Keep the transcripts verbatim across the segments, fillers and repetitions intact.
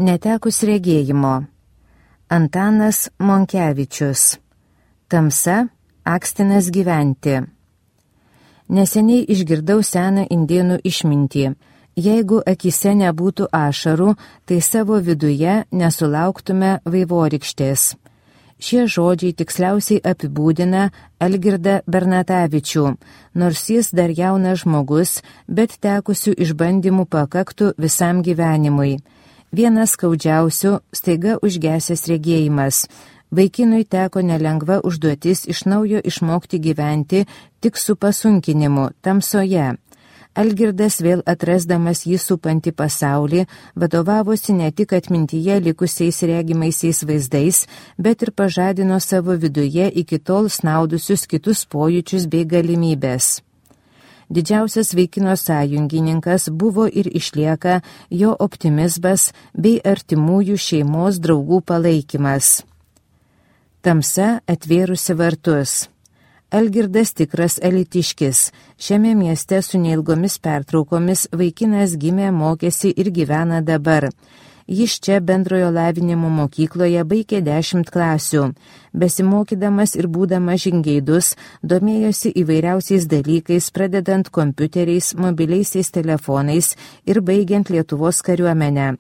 Netekus regėjimo. Antanas Monkevičius. Tamsa akstinas gyventi. Neseniai išgirdau seną indėnų išmintį. Jeigu akise nebūtų ašarų, tai savo viduje nesulauktume vaivorykštės. Šie žodžiai tiksliausiai apibūdina Algirdą Bernatavičių, nors jis dar jaunas žmogus, bet tekusių išbandymų pakaktų visam gyvenimui. Vienas skaudžiausių staiga užgesęs regėjimas. Vaikinui teko nelengva užduotis iš naujo išmokti gyventi tik su pasunkinimu, tamsoje. Algirdas vėl atrasdamas jį supantį pasaulį, vadovavosi ne tik atmintyje likusiais regimaisiais vaizdais, bet ir pažadino savo viduje iki tol snaudusius kitus pojūčius bei galimybės. Didžiausias vaikino sąjungininkas buvo ir išlieka jo optimizmas bei artimųjų šeimos draugų palaikymas. Tamsa atvėrusi vartus. Algirdas tikras elitiškis. Šiame mieste su neilgomis pertraukomis vaikinas gimė, mokėsi ir gyvena dabar. Jis čia bendrojo lavinimo mokykloje baigė dešimt klasių. Besimokydamas ir būdamas žingeidus, domėjosi įvairiausiais dalykais, pradedant kompiuteriais, mobiliaisiais telefonais ir baigiant Lietuvos kariuomenę.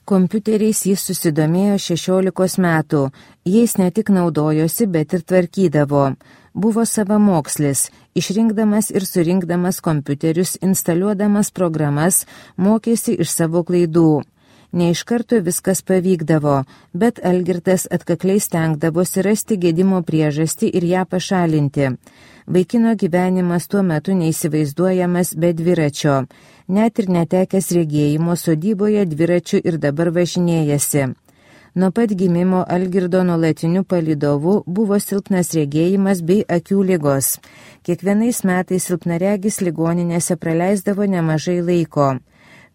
Kompiuteriais jis susidomėjo šešiolikos metų. Jais ne tik naudojosi, bet ir tvarkydavo. Buvo savamokslis, išrinkdamas ir surinkdamas kompiuterius, instaliuodamas programas, mokėsi iš savo klaidų. Ne iš karto viskas pavykdavo, bet Algirdas atkakliai stengdavosi rasti gedimo priežastį ir ją pašalinti. Vaikino gyvenimas tuo metu neįsivaizduojamas be dviračio. Net ir netekęs regėjimo sodyboje dviračiu ir dabar važinėjasi. Nuo pat gimimo Algirdo nuolatiniu palydovu buvo silpnas regėjimas bei akių ligos. Kiekvienais metais silpnaregis ligoninėse praleisdavo nemažai laiko.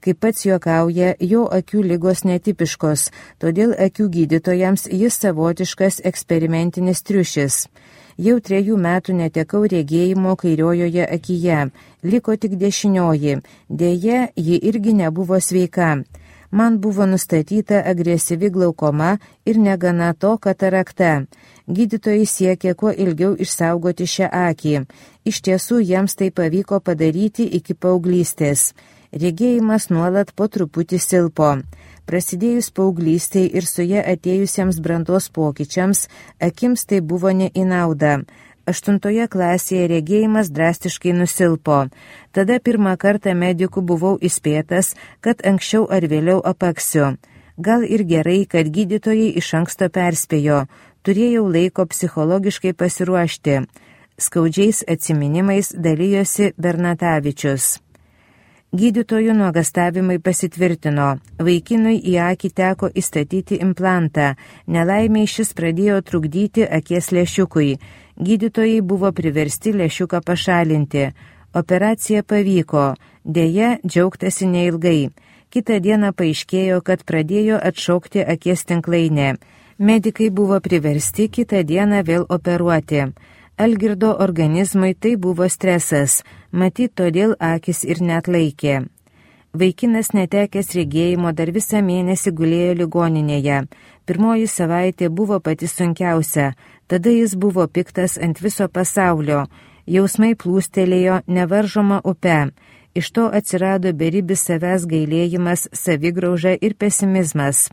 Kaip pats juokauja, jo akių ligos netipiškos, todėl akių gydytojams jis savotiškas eksperimentinis triušis. Jau trejų metų netekau regėjimo kairiojoje akyje, liko tik dešinioji, dėja, ji irgi nebuvo sveika. Man buvo nustatyta agresyvi glaukoma ir negana to katarakta. Gydytojai siekė kuo ilgiau išsaugoti šią akį. Iš tiesų jiems tai pavyko padaryti iki paauglystės. Regėjimas nuolat po truputį silpo. Prasidėjus paauglystei ir su ja atėjusiems brandos pokyčiams, akims tai buvo ne į naudą. Aštuntoje klasėje regėjimas drastiškai nusilpo. Tada pirmą kartą medikų buvau įspėtas, kad anksčiau ar vėliau apaksiu. Gal ir gerai, kad gydytojai iš anksto perspėjo. Turėjau laiko psichologiškai pasiruošti. Skaudžiais atsiminimais dalijosi Bernatavičius. Gydytojų nuogastavimai pasitvirtino. Vaikinui į akį teko įstatyti implantą. Nelaimiai šis pradėjo trukdyti akies lęšiukui. Gydytojai buvo priversti lęšiuką pašalinti. Operacija pavyko. Deja, džiaugtasi neilgai. Kitą dieną paaiškėjo, kad pradėjo atšaukti akies tinklainę. Medikai buvo priversti kitą dieną vėl operuoti. Algirdo organizmui tai buvo stresas, matyt, todėl akis ir neatlaikė. Vaikinas netekęs regėjimo dar visą mėnesį gulėjo ligoninėje. Pirmoji savaitė buvo pati sunkiausia, tada jis buvo piktas ant viso pasaulio. Jausmai plūstelėjo nevaržoma upe. Iš to atsirado beribis savęs gailėjimas, savigrauža ir pesimizmas.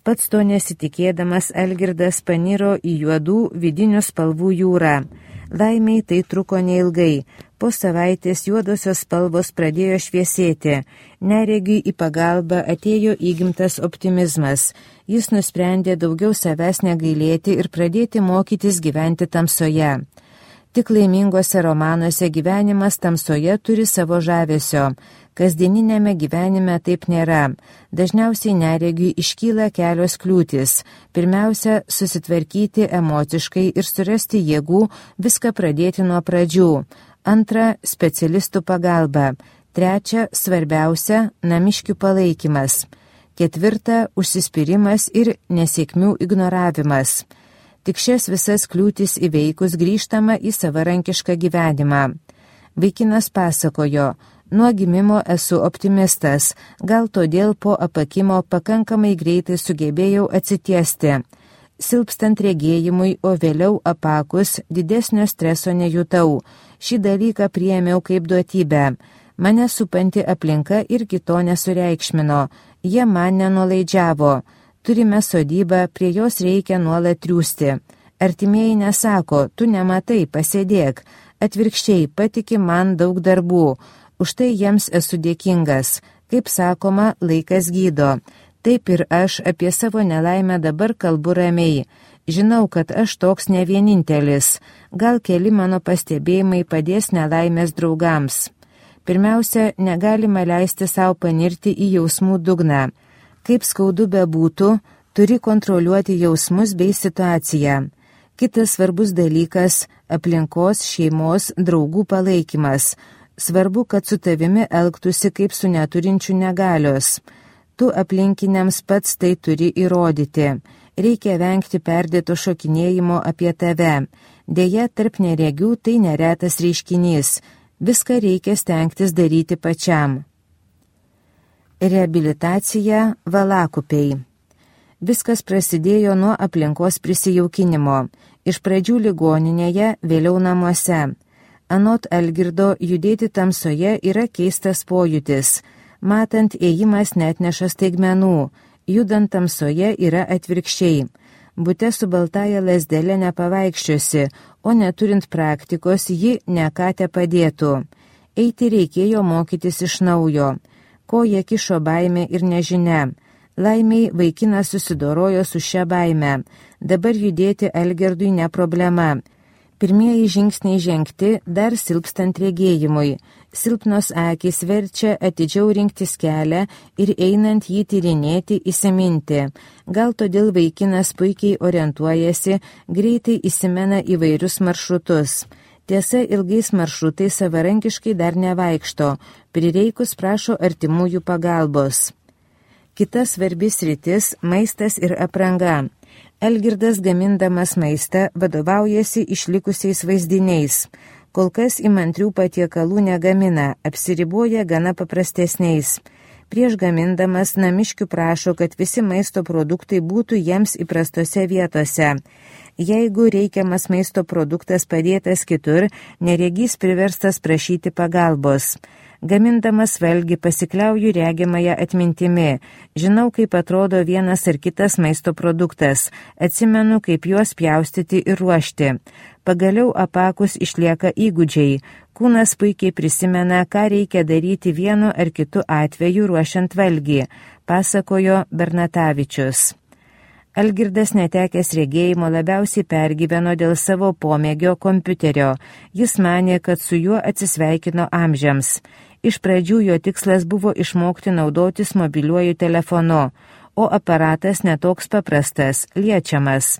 Pats to nesitikėdamas Algirdas paniro į juodų vidinių spalvų jūrą. Laimiai tai truko neilgai. Po savaitės juodosios spalvos pradėjo šviesėti. Neregiui į pagalbą atėjo įgimtas optimizmas. Jis nusprendė daugiau savęs negailėti ir pradėti mokytis gyventi tamsoje. Tik laimingose romanuose gyvenimas tamsoje turi savo žavesio. Kasdieninėme gyvenime taip nėra. Dažniausiai neregiui iškyla kelios kliūtis. Pirmiausia, susitvarkyti emociškai ir surasti jėgų viską pradėti nuo pradžių. Antra, specialistų pagalba. Trečia, svarbiausia, namiškių palaikymas. Ketvirta, užsispyrimas ir nesėkmių ignoravimas. Tik šias visas kliūtis įveikus grįžtama į savarankišką gyvenimą. Vaikinas pasakojo, Nuo gimimo esu optimistas, gal todėl po apakimo pakankamai greitai sugebėjau atsitiesti. Silpstant regėjimui, o vėliau apakus, didesnio streso nejutau. Šį dalyką priėmiau kaip duotybę. Mane supanti aplinka irgi to nesureikšmino. Jie man nenuolaidžiavo. Turime sodybą, prie jos reikia nuolat triūsti. Artimieji nesako, tu nematai, pasėdėk. Atvirkščiai, patiki man daug darbų. Už tai jiems esu dėkingas. Kaip sakoma, laikas gydo. Taip ir aš apie savo nelaimę dabar kalbu ramiai. Žinau, kad aš toks ne vienintelis. Gal keli mano pastebėjimai padės nelaimės draugams. Pirmiausia, negalima leisti savo panirti į jausmų dugną. Kaip skaudu bebūtų, turi kontroliuoti jausmus bei situaciją. Kitas svarbus dalykas – aplinkos, šeimos, draugų palaikymas. Svarbu, kad su tavimi elgtųsi kaip su neturinčiu negalios. Tu aplinkiniams pats tai turi įrodyti. Reikia vengti perdėto šokinėjimo apie tave. Deja, tarp neregių tai neretas reiškinys. Viską reikia stengtis daryti pačiam. Reabilitacija valakupiai. Viskas prasidėjo nuo aplinkos prisijaukinimo. Iš pradžių ligoninėje, vėliau namuose. Anot Algirdo, judėti tamsoje yra keistas pojūtis. Matant, ėjimas netneša staigmenų. Judant tamsoje yra atvirkščiai. Bute su baltaja lasdelė nepavaikščiosi, o neturint praktikos ji ne ką te padėtų. Eiti reikėjo mokytis iš naujo. Koja kišo baimė ir nežinia. Laimiai vaikinas susidorojo su šia baime. Dabar judėti Algirdui ne problema. Pirmieji žingsniai žengti dar silpstant regėjimui. Silpnos akys verčia atidžiau rinktis kelią ir einant jį tyrinėti, įsiminti. Gal todėl vaikinas puikiai orientuojasi, greitai įsimena įvairius maršrutus. Tiesa, ilgais maršrutais savarankiškai dar nevaikšto, prireikus prašo artimųjų pagalbos. Kita svarbi sritis – maistas ir apranga. Algirdas gamindamas maistą vadovaujasi išlikusiais vaizdiniais. Kol kas įmantrių patiekalų negamina, apsiriboja gana paprastesniais. Prieš gamindamas namiškių prašo, kad visi maisto produktai būtų jiems įprastose vietose. Jeigu reikiamas maisto produktas padėtas kitur, neregys priverstas prašyti pagalbos. Gamindamas valgį pasikliauju regimąją atmintimi. Žinau, kaip atrodo vienas ar kitas maisto produktas. Atsimenu, kaip juos pjaustyti ir ruošti. Pagaliau apakus išlieka įgūdžiai. Kūnas puikiai prisimena, ką reikia daryti vienu ar kitu atveju ruošiant valgį, pasakojo Bernatavičius. Algirdas netekęs regėjimo labiausiai pergyveno dėl savo pomėgio kompiuterio. Jis manė, kad su juo atsisveikino amžiams. Iš pradžių jo tikslas buvo išmokti naudotis mobiliuoju telefonu, o aparatas netoks paprastas, liečiamas.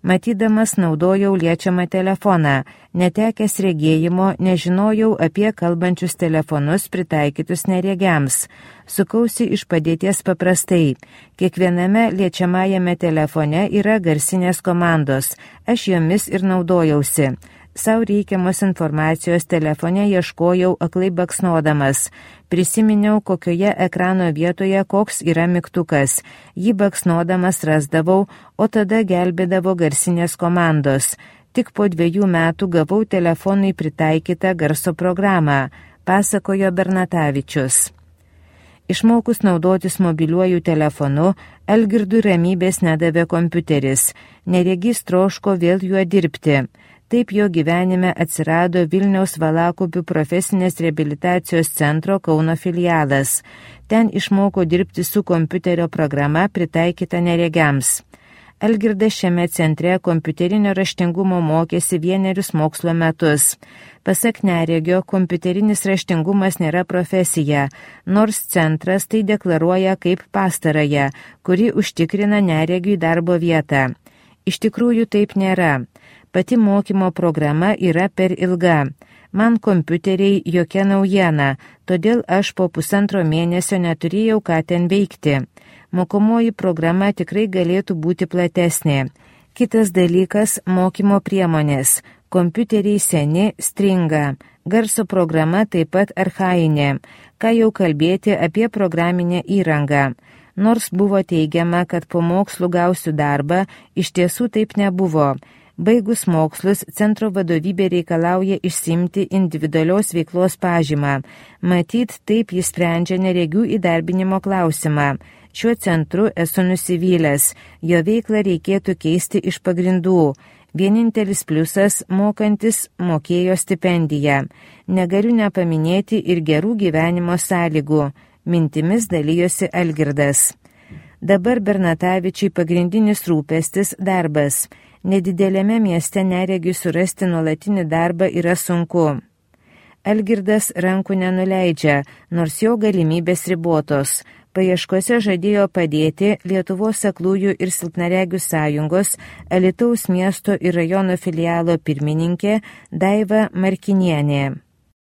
Matydamas naudojau liečiamą telefoną, netekęs regėjimo nežinojau apie kalbančius telefonus pritaikytus neregiams. Sukausi iš padėties paprastai. Kiekviename liečiamajame telefone yra garsinės komandos, aš jomis ir naudojausi. Sau reikiamos informacijos telefone ieškojau aklai baksnodamas. Prisiminiau, kokioje ekrano vietoje koks yra mygtukas. Jį baksnodamas rasdavau, o tada gelbėdavo garsinės komandos. Tik po dviejų metų gavau telefonui pritaikytą garso programą, pasakojo Bernatavičius. Išmokus naudotis mobiliuoju telefonu, Algirdui ramybės nedavė kompiuteris. Neregys troško vėl juo dirbti. Taip jo gyvenime atsirado Vilniaus Valakupių profesinės reabilitacijos centro Kauno filialas. Ten išmoko dirbti su kompiuterio programa pritaikyta neregiams. Algirdas šiame centre kompiuterinio raštingumo mokėsi vienerius mokslo metus. Pasak neregio, kompiuterinis raštingumas nėra profesija, nors centras tai deklaruoja kaip pastarąją, kuri užtikrina neregiui darbo vietą. Iš tikrųjų taip nėra. Pati mokymo programa yra per ilga. Man kompiuteriai jokia naujiena, todėl aš po pusantro mėnesio neturėjau ką ten veikti. Mokomoji programa tikrai galėtų būti platesnė. Kitas dalykas – mokymo priemonės. Kompiuteriai seni, stringa. Garso programa taip pat archainė. Ką jau kalbėti apie programinę įrangą. Nors buvo teigiama, kad po mokslų gausiu darbą, iš tiesų taip nebuvo. Baigus mokslus, centro vadovybė reikalauja išsimti individualios veiklos pažymą. Matyt, taip jis sprendžia neregių įdarbinimo klausimą. Šiuo centru esu nusivylęs, jo veiklą reikėtų keisti iš pagrindų. Vienintelis pliusas – mokantis mokėjo stipendiją. Negaliu nepaminėti ir gerų gyvenimo sąlygų. Mintimis dalijosi Algirdas. Dabar Bernatavičiui pagrindinis rūpestis – darbas. Nedidelėme mieste neregiui surasti nuolatinį darbą yra sunku. Algirdas rankų nenuleidžia, nors jo galimybės ribotos. Paieškose žadėjo padėti Lietuvos aklųjų ir silpnaregių sąjungos Alytaus miesto ir rajono filialo pirmininkė Daiva Markinienė.